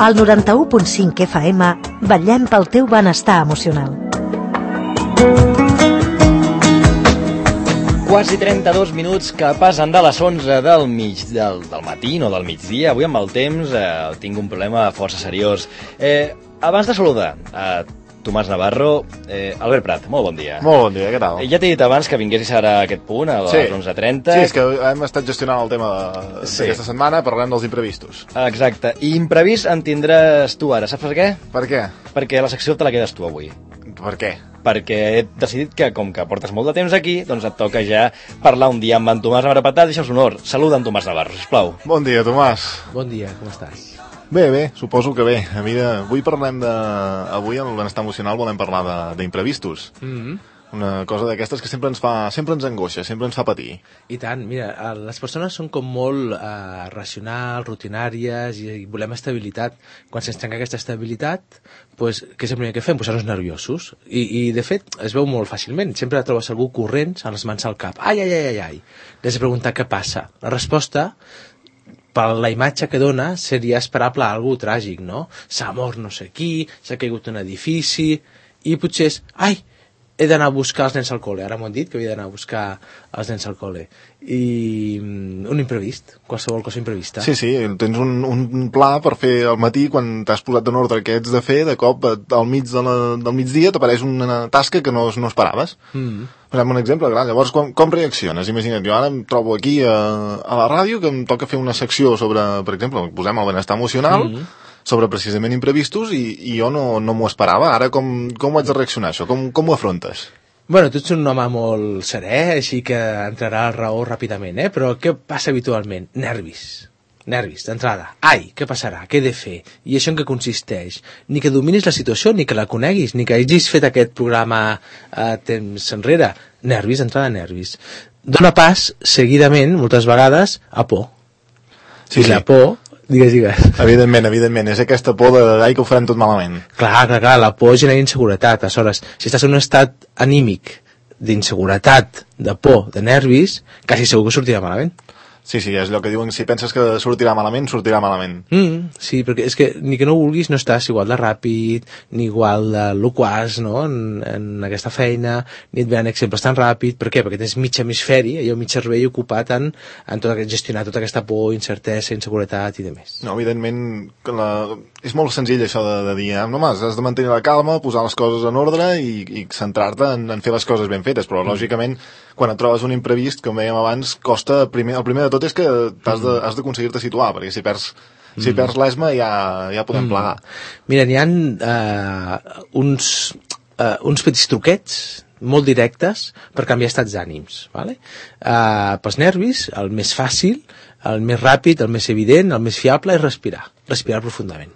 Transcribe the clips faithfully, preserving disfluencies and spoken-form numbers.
Al noranta-u punt cinc F M vetllem pel teu benestar emocional. Quasi trenta-dos minuts que passen de les onze del, mig, del, del matí, no del migdia. Avui amb el temps eh, tinc un problema força seriós. Eh, abans de saludar a Tomàs Navarro, eh, Albert Prat, molt bon dia. Molt bon dia, què tal? Eh, ja t'he dit abans que vinguessis ara a aquest punt, a les sí. onze trenta. Sí, és que hem estat gestionant el tema d'aquesta sí. setmana, parlem dels imprevistos. Exacte, i imprevist en tindràs tu ara, saps per què? Per què? Perquè la secció te la quedes tu avui. Per què? Perquè he decidit que, com que portes molt de temps aquí, doncs et toca ja parlar un dia amb en Tomàs Navarro Prat. Deixa'ls honor. Saluda en Tomàs Navarro, sisplau. Bon dia, Tomàs. Bon dia, com estàs? Bé, bé, suposo que bé. A mi de... Avui parlem de... Avui, en el benestar emocional, volem parlar d'imprevistos. Mm-hmm. Una cosa d'aquestes que sempre ens fa, sempre ens angoixa, sempre ens fa patir. I tant, mira, les persones són com molt eh, racionals, rutinàries i, i volem estabilitat. Quan se'ns trenca aquesta estabilitat, pues, què és el primer que fem? Posar-nos nerviosos. I, I, de fet, es veu molt fàcilment. Sempre trobes algú corrents amb les mans al cap. Ai, ai, ai, ai, ai. Has de preguntar què passa. La resposta, per la imatge que dona, seria esperable a algú tràgic, no? S'ha mort no sé qui, s'ha caigut un edifici, i potser és, ai, he d'anar a buscar els nens al col·le. Ara m'ho han dit que havia d'anar a buscar els nens al col·le. I un imprevist, qualsevol cosa imprevista. Sí, sí, tens un, un pla per fer al matí, quan t'has posat en ordre què ets de fer, de cop al mig de la, del migdia t'apareix una tasca que no, no esperaves. Mm. Posem un exemple, clar, llavors com, com reacciones? Imagina't, jo ara em trobo aquí a, a la ràdio que em toca fer una secció sobre, per exemple, posem el benestar emocional, mm. sobre precisament imprevistos, i, i jo no, no m'ho esperava. Ara com, com ho haig de reaccionar, això? Com, com ho afrontes? Bueno, tu ets un home molt serè, així que entrarà al raó ràpidament, eh? Però què passa habitualment? Nervis. Nervis, d'entrada. Ai, què passarà? Què he de fer? I això en què consisteix? Ni que dominis la situació, ni que la coneguis, ni que hagis fet aquest programa a temps enrere. Nervis, d'entrada nervis. Dóna pas, seguidament, moltes vegades, a por. Sí, I sí. la por... Digues, digues. Evidentment, evidentment, és aquesta por de, ai, que ho farem tot malament. Clar, clar, clar, la por genera inseguretat. Aleshores, si estàs en un estat anímic d'inseguretat, de por, de nervis, quasi segur que sortirà malament. Sí, sí, és allò que diuen, si penses que sortirà malament, sortirà malament. Mm, sí, perquè és que ni que no vulguis no estàs igual de ràpid, ni igual de loquaç, no?, en, en aquesta feina, ni et venen exemples tan ràpid. Per què? Perquè tens mig hemisferi, allò mig cervell ocupat en, en tot aquest, gestionar tota aquesta por, incertesa, inseguretat i demés. No, evidentment, que la... és molt senzill això de, de dir, eh? no, mas, has de mantenir la calma, posar les coses en ordre i, i centrar-te en, en fer les coses ben fetes, però mm. lògicament, quan et trobes un imprevist, com dèiem abans, costa, primer, el primer de tot és que has de, has d'aconseguir-te situar, perquè si perds, mm. si perds l'esma ja, ja podem mm. plegar. Mira, n'hi ha uh, uns, uh, uns petits truquets molt directes per canviar estats d'ànims, ¿vale? Uh, pels nervis, el més fàcil, el més ràpid, el més evident, el més fiable és respirar, respirar profundament.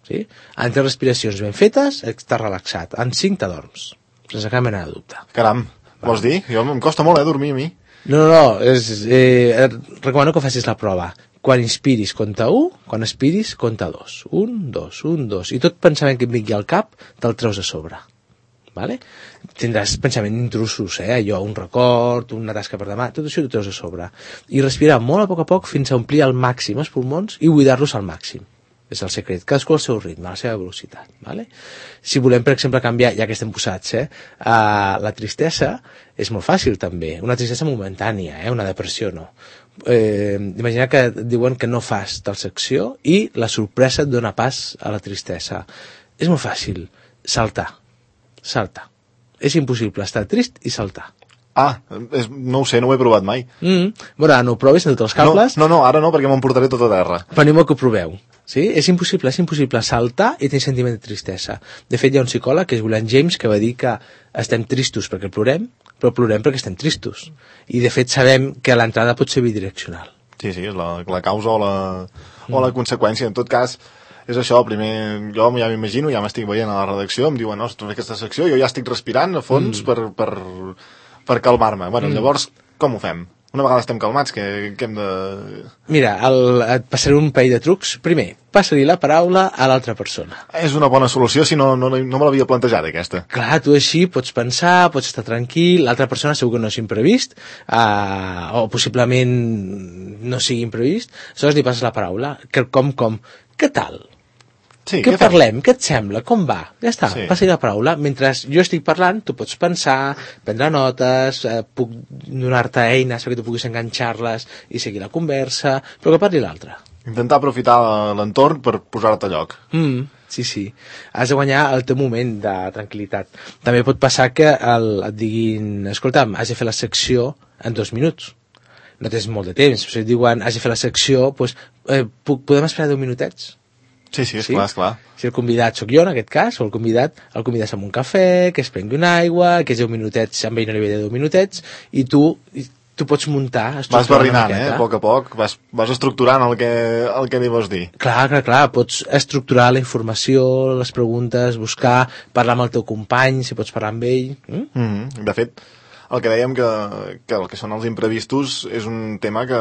Sí? En tres respiracions ben fetes, estàs relaxat. En cinc t'adorms, sense cap mena de dubte. Caram, vols dir? Jo em costa molt, eh, dormir a mi. No, no, no, és, eh, recomano que facis la prova. Quan inspiris, compta un, quan expiris, compta dos. Un, dos, un, dos. I tot pensament que et vingui al cap, te'l treus a sobre. Vale? Tindràs pensament intrusos, eh? Allò, un record, una tasca per demà, tot això t'ho treus a sobre. I respirar molt a poc a poc fins a omplir al màxim els pulmons i buidar-los al màxim. És el secret. Cadascú al seu ritme, a la seva velocitat. Vale? Si volem, per exemple, canviar, ja que estem posats, eh, uh, la tristesa és molt fàcil també. Una tristesa momentània, eh? Una depressió no. Eh, imagina que et diuen que no fas tal secció i la sorpresa et dona pas a la tristesa. És molt fàcil. Saltar. Saltar. És impossible estar trist i saltar. Ah, és, no ho sé, no ho he provat mai. Mm. Bueno, ara no ho provis, en tots els cables. No, no, no, ara no, perquè m'emportaré tot a terra. Però animo que ho proveu. Sí? És impossible, és impossible saltar i tenir sentiment de tristesa. De fet, hi ha un psicòleg, que és William James, que va dir que estem tristos perquè plorem, però plorem perquè estem tristos. I, de fet, sabem que l'entrada pot ser bidireccional. Sí, sí, és la, la causa o la, mm. o la conseqüència. En tot cas, és això, primer, jo ja m'imagino, ja m'estic veient a la redacció, em diuen, no, fer aquesta secció, jo ja estic respirant a fons mm. per, per, per calmar-me. Bueno, mm. llavors, com ho fem? Una vegada estem calmats, que, que hem de... Mira, el, et passaré un parell de trucs. Primer, passa-li la paraula a l'altra persona. És una bona solució, si no, no, no me l'havia plantejat, aquesta. Clar, tu així pots pensar, pots estar tranquil, l'altra persona segur que no és imprevist, uh, o possiblement no sigui imprevist, aleshores li passes la paraula. Que com, com, què tal? Sí, què què fem? parlem? Què et sembla? Com va? Ja està, Sí. passi la paraula. Mentre jo estic parlant, tu pots pensar, prendre notes, eh, puc donar-te eines perquè tu puguis enganxar-les i seguir la conversa, però que parli l'altre. Intentar aprofitar l'entorn per posar-te a lloc. Mm, sí, sí. Has de guanyar el teu moment de tranquil·litat. També pot passar que el, et diguin, escolta'm, has de fer la secció en dos minuts. No tens molt de temps. Si et diuen, has de fer la secció, doncs, eh, puc, podem esperar deu minutets? Sí, sí, Sí? esclar, esclar. Si el convidat sóc jo, en aquest cas, o el convidat, el convides amb un cafè, que es prengui una aigua, que és deu minutets, amb ell no li ve de deu minutets, i tu, i tu pots muntar, Vas estructurar una barrinant, eh, miqueta. a poc a poc, vas, vas estructurant el que, el que li vols dir. Clar, clar, clar, pots estructurar la informació, les preguntes, buscar, parlar amb el teu company, si pots parlar amb ell. Mm? Mm -hmm. De fet, el que dèiem que, que el que són els imprevistos és un tema que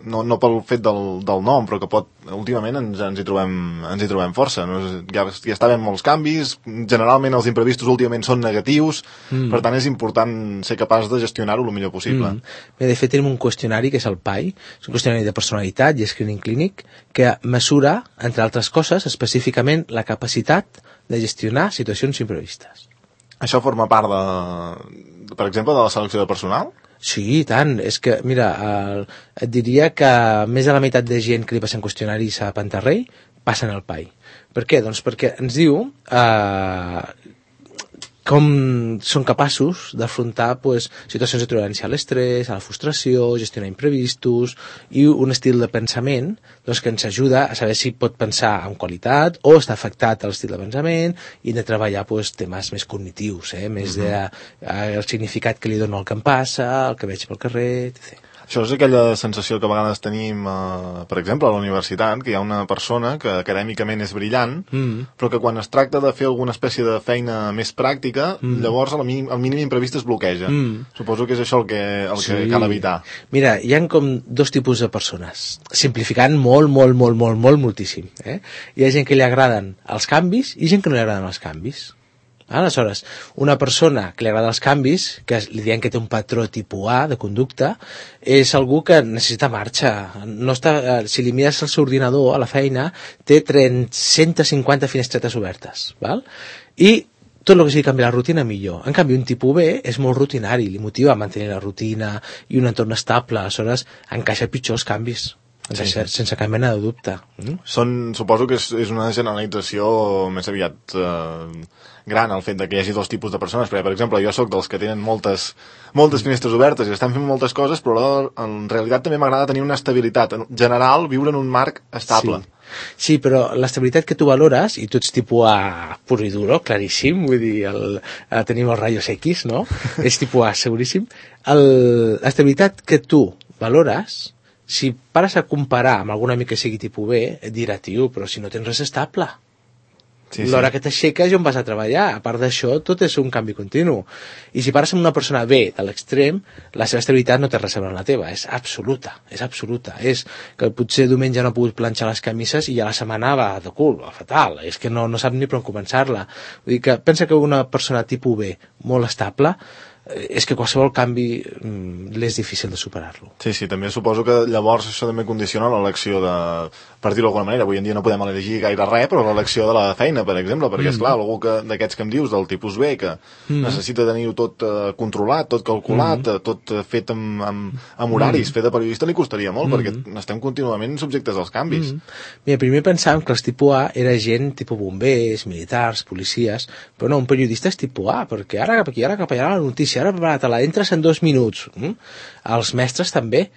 no, no pel fet del, del nom, però que pot, últimament ens, ens, hi, trobem, ens hi trobem força. No? Ja, ja està havent molts canvis, generalment els imprevistos últimament són negatius, mm. per tant és important ser capaç de gestionar-ho el millor possible. Mm. Bé, de fet tenim un qüestionari que és el P A I, és un qüestionari de personalitat i screening clínic que mesura, entre altres coses, específicament la capacitat de gestionar situacions imprevistes. Això forma part de, per exemple, de la selecció de personal? Sí, i tant. És que, mira, el, et diria que més de la meitat de gent que li passen qüestionaris a Pantarrei passen al P A I. Per què? Doncs perquè ens diu eh, com són capaços d'afrontar pues, situacions de tolerància a l'estrès, a la frustració, gestionar imprevistos i un estil de pensament doncs, que ens ajuda a saber si pot pensar amb qualitat o està afectat a l'estil de pensament i de treballar pues, temes més cognitius, eh? més uh -huh. de, eh, el significat que li dono al que em passa, el que veig pel carrer, etcètera. Això és aquella sensació que a vegades tenim, eh, per exemple, a la universitat, que hi ha una persona que acadèmicament és brillant, mm. però que quan es tracta de fer alguna espècie de feina més pràctica, mm. llavors el mínim, el mínim imprevist es bloqueja. Mm. Suposo que és això el que, el sí. que cal evitar. Mira, hi ha com dos tipus de persones, simplificant molt, molt, molt, molt, molt, moltíssim. Eh? Hi ha gent que li agraden els canvis i gent que no li agraden els canvis. Aleshores, una persona que li agrada els canvis, que li diem que té un patró tipus A de conducta, és algú que necessita marxa. No està, si li mires el seu ordinador a la feina, té cent cinquanta finestretes obertes. Val? I tot el que sigui canviar la rutina, millor. En canvi, un tipus B és molt rutinari, li motiva a mantenir la rutina i un entorn estable. Aleshores, encaixa pitjor els canvis. Sí. Sense cap mena de dubte. Mm? Són, suposo que és, és una generalització més aviat eh, gran el fet de que hi hagi dos tipus de persones, perquè per exemple jo sóc dels que tenen moltes, moltes finestres obertes i estan fent moltes coses, però en realitat també m'agrada tenir una estabilitat en general, viure en un marc estable. Sí. Sí, però l'estabilitat que tu valores, i tu ets tipus A pur i duro, claríssim, vull dir, el, el, tenim els rayos X, no? És tipus A, seguríssim. L'estabilitat que tu valores, si pares a comparar amb algun amic que sigui tipus B, et dirà, tio, però si no tens res estable. Sí, sí. L'hora que t'aixeques i on vas a treballar. A part d'això, tot és un canvi continu. I si pares amb una persona B de l'extrem, la seva estabilitat no té res a veure amb la teva. És absoluta, és absoluta. És que potser diumenge no ha pogut planxar les camises i ja la setmana va de cul, va fatal. És que no, no sap ni per on començar-la. Vull dir que pensa que una persona tipus B molt estable és que qualsevol canvi mm, és difícil de superar-lo. Sí, sí, també suposo que llavors això també condiciona l'elecció de, per dir-ho d'alguna manera, avui en dia no podem elegir gaire res, però l'elecció de la feina, per exemple, perquè, mm. esclar, algú que, d'aquests que em dius, del tipus B, que mm. necessita tenir-ho tot eh, controlat, tot calculat, mm. tot eh, fet amb, amb, amb horaris, mm. fet de periodista, li costaria molt, mm. perquè estem contínuament subjectes als canvis. Mm. Mira, primer pensàvem que els tipus A era gent tipus bombers, militars, policies, però no, un periodista és tipus A, perquè ara cap aquí, ara cap allà la notícia, ara prepara-te-la, entres en dos minuts. Mm? Els mestres també,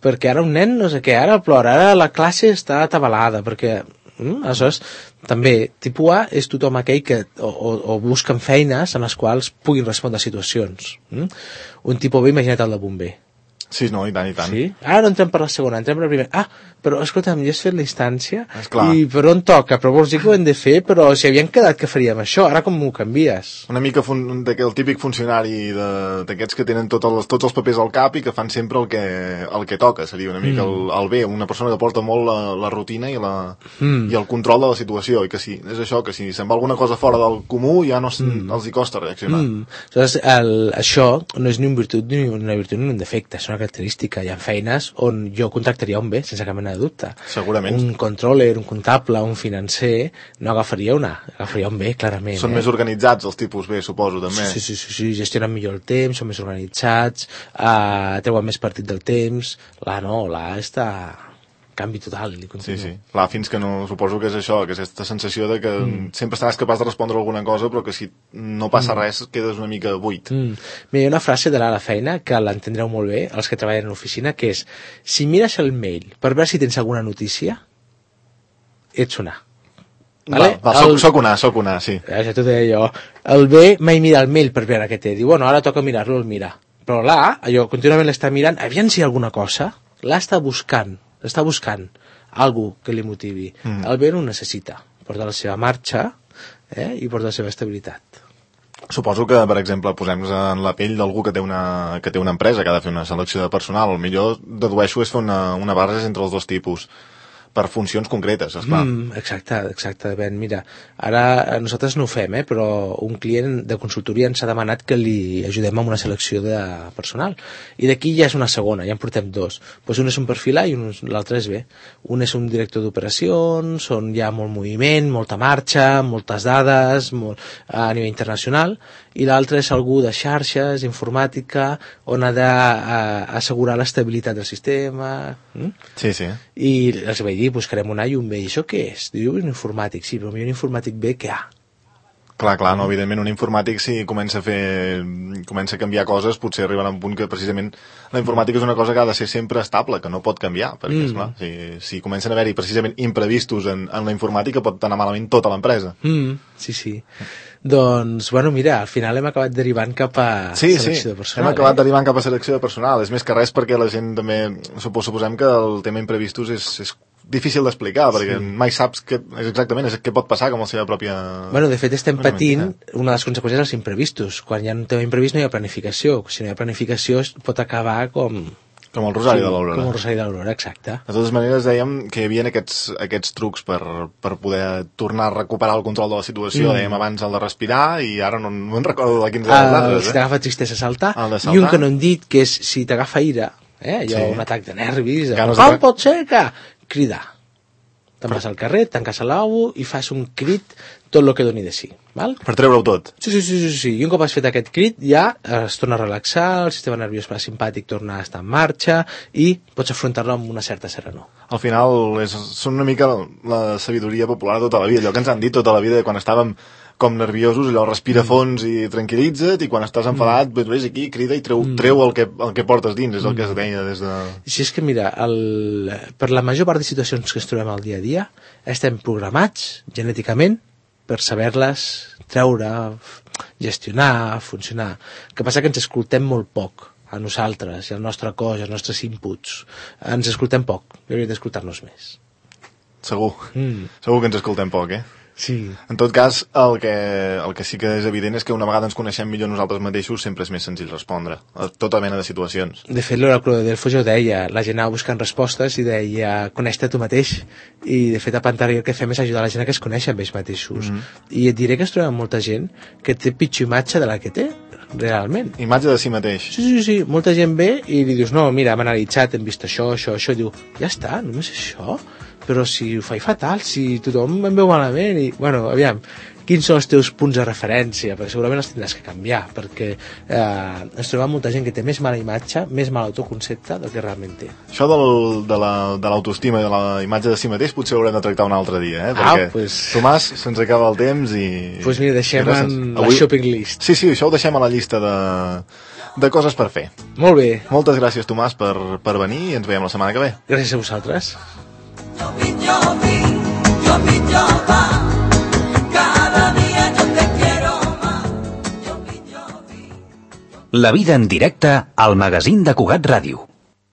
perquè ara un nen no sé què, ara plora, ara la classe està atabalada, perquè mm? aleshores també tipus A és tothom aquell que o, o, o busquen feines en les quals puguin respondre a situacions. Mm? Un tipus B, imagina't el de bomber. Sí, no, i tant, i tant. Sí? Ara no entrem per la segona, entrem per la primera. Ah, però escolta'm, ja has fet la instància Esclar. I per on toca? Però vols dir que ho hem de fer? Però si havíem quedat que faríem això, ara com ho canvies? Una mica fun de, el típic funcionari d'aquests que tenen tot els, tots els papers al cap i que fan sempre el que, el que toca, seria una mica mm. el, el bé, una persona que porta molt la, la rutina i, la, mm. i el control de la situació, i que sí, és això, que si se'n va alguna cosa fora del comú ja no mm. els hi costa reaccionar. Mm. Aleshores, el, això no és ni un virtut ni una virtut ni un defecte, és una característica. Hi ha feines on jo contractaria un B, sense cap mena de dubte. Segurament. Un controller, un comptable, un financer, no agafaria una, agafaria un B, clarament. Són eh? més organitzats els tipus B, suposo, també. Sí, sí, sí, sí, gestionen millor el temps, són més organitzats, eh, treuen més partit del temps. La no, la està... canvi total, li continuo. Sí, sí. Clar, fins que no... Suposo que és això, que és aquesta sensació de que mm. sempre estaràs capaç de respondre alguna cosa, però que si no passa mm. res quedes una mica buit. Mm. Mira, hi ha una frase de la feina que l'entendreu molt bé, els que treballen a l'oficina, que és: si mires el mail per veure si tens alguna notícia, ets una. Vale? Va, va, soc, el... soc una, soc una, sí. Ja t'ho deia jo. El B mai mira el mail per veure què té. Diu, bueno, ara toca mirar-lo, el mira. Però l'A, allò, contínuament l'està mirant, aviam si hi ha alguna cosa. L'A està buscant, està buscant algú que li motivi. Mm. El B no ho necessita. Porta la seva marxa eh, i porta la seva estabilitat. Suposo que, per exemple, posem-nos en la pell d'algú que té una que té una empresa que ha de fer una selecció de personal. El millor, dedueixo, és fer una, una barreja entre els dos tipus, per funcions concretes, esclar. Mm, exacte, exacte, Ben. Mira, ara nosaltres no ho fem, eh, però un client de consultoria ens ha demanat que li ajudem amb una selecció de personal. I d'aquí ja és una segona, ja en portem dos. Pues un és un perfil A i l'altre és B. Un és un director d'operacions, on hi ha molt moviment, molta marxa, moltes dades, molt, a nivell internacional, i l'altre és algú de xarxes, informàtica, on ha d'assegurar l'estabilitat del sistema. Mm? Sí, sí. I els vaig dir, buscarem un A i un B. I això què és? Diu, un informàtic, sí, però millor un informàtic B que A. Clar, clar, no, evidentment un informàtic si comença a fer, comença a canviar coses, potser arribarà a un punt que precisament la informàtica és una cosa que ha de ser sempre estable, que no pot canviar, perquè, mm. esclar, si, si comencen a haver-hi precisament imprevistos en, en la informàtica pot anar malament tota l'empresa. Mm, sí, sí. Doncs, bueno, mira, al final hem acabat derivant cap a sí, selecció sí. de personal. Hem acabat eh? derivant cap a selecció de personal. És més que res perquè la gent també... Suposem que el tema imprevistos és, és difícil d'explicar, perquè sí. mai saps què, exactament és què pot passar com la seva pròpia... Bueno, de fet estem patint una de les conseqüències dels imprevistos. Quan hi ha un tema imprevist no hi ha planificació. Si no hi ha planificació pot acabar com... Com el Rosari sí, de l'Aurora. Com el Rosari de l'Aurora, exacte. De totes maneres, dèiem que hi havia aquests, aquests trucs per, per poder tornar a recuperar el control de la situació. Mm. Dèiem abans el de respirar i ara no, no en recordo de quins uh, altres. Eh? Si t'agafa tristesa, saltar. saltar. I un que no hem dit, que és si t'agafa ira, eh? allò, sí. un atac de nervis, com de... pot ser que... Cridar. Te'n vas al carrer, tanques el lavabo i fas un crit tot el que doni de si. Val? Per treure-ho tot. Sí, sí, sí, sí, sí. I un cop has fet aquest crit ja es torna a relaxar, el sistema nerviós parasimpàtic torna a estar en marxa i pots afrontar-lo amb una certa serenor. Al final és, són una mica la sabidoria popular de tota la vida, allò que ens han dit tota la vida quan estàvem com nerviosos, allò respira fons i tranquil·litza't, i quan estàs enfadat, mm. ves aquí, crida i treu, mm. treu el, que, el que portes dins, és el que es deia des de... Si és que mira, el, per la major part de situacions que ens trobem al dia a dia, estem programats genèticament per saber-les treure, gestionar, funcionar. El que passa que ens escoltem molt poc a nosaltres, i al nostre cos, i als nostres inputs. Ens escoltem poc, hauríem d'escoltar-nos més. Segur, mm. segur que ens escoltem poc, eh? Sí. En tot cas, el que, el que sí que és evident és que una vegada ens coneixem millor nosaltres mateixos sempre és més senzill respondre a tota mena de situacions. De fet, l'oracle de Delfos ja ho deia, la gent anava buscant respostes i deia, coneix-te tu mateix. I de fet a Pantari el que fem és ajudar la gent a que es coneixen ells mateixos. Mm-hmm. I et diré que es troba molta gent que té pitjor imatge de la que té realment. Imatge de si mateix. Sí, sí, sí, molta gent ve i li dius, no, mira, hem analitzat, hem vist això, això, això, i diu, ja està, només això? Però si ho faig fatal, si tothom em veu malament, i, bueno, aviam, quins són els teus punts de referència? Perquè segurament els tindràs que canviar, perquè eh, ens trobem molta gent que té més mala imatge, més mal autoconcepte del que realment té. Això del, de l'autoestima la, i de la imatge de si mateix potser ho haurem de tractar un altre dia, eh? Perquè, ah, pues... Tomàs, se'ns acaba el temps i... Doncs pues mira, deixem en avui... la shopping list. Sí, sí, això ho deixem a la llista de, de coses per fer. Molt bé. Moltes gràcies, Tomàs, per, per venir i ens veiem la setmana que ve. Gràcies a vosaltres. La vida en directe al magazín de Cugat Ràdio.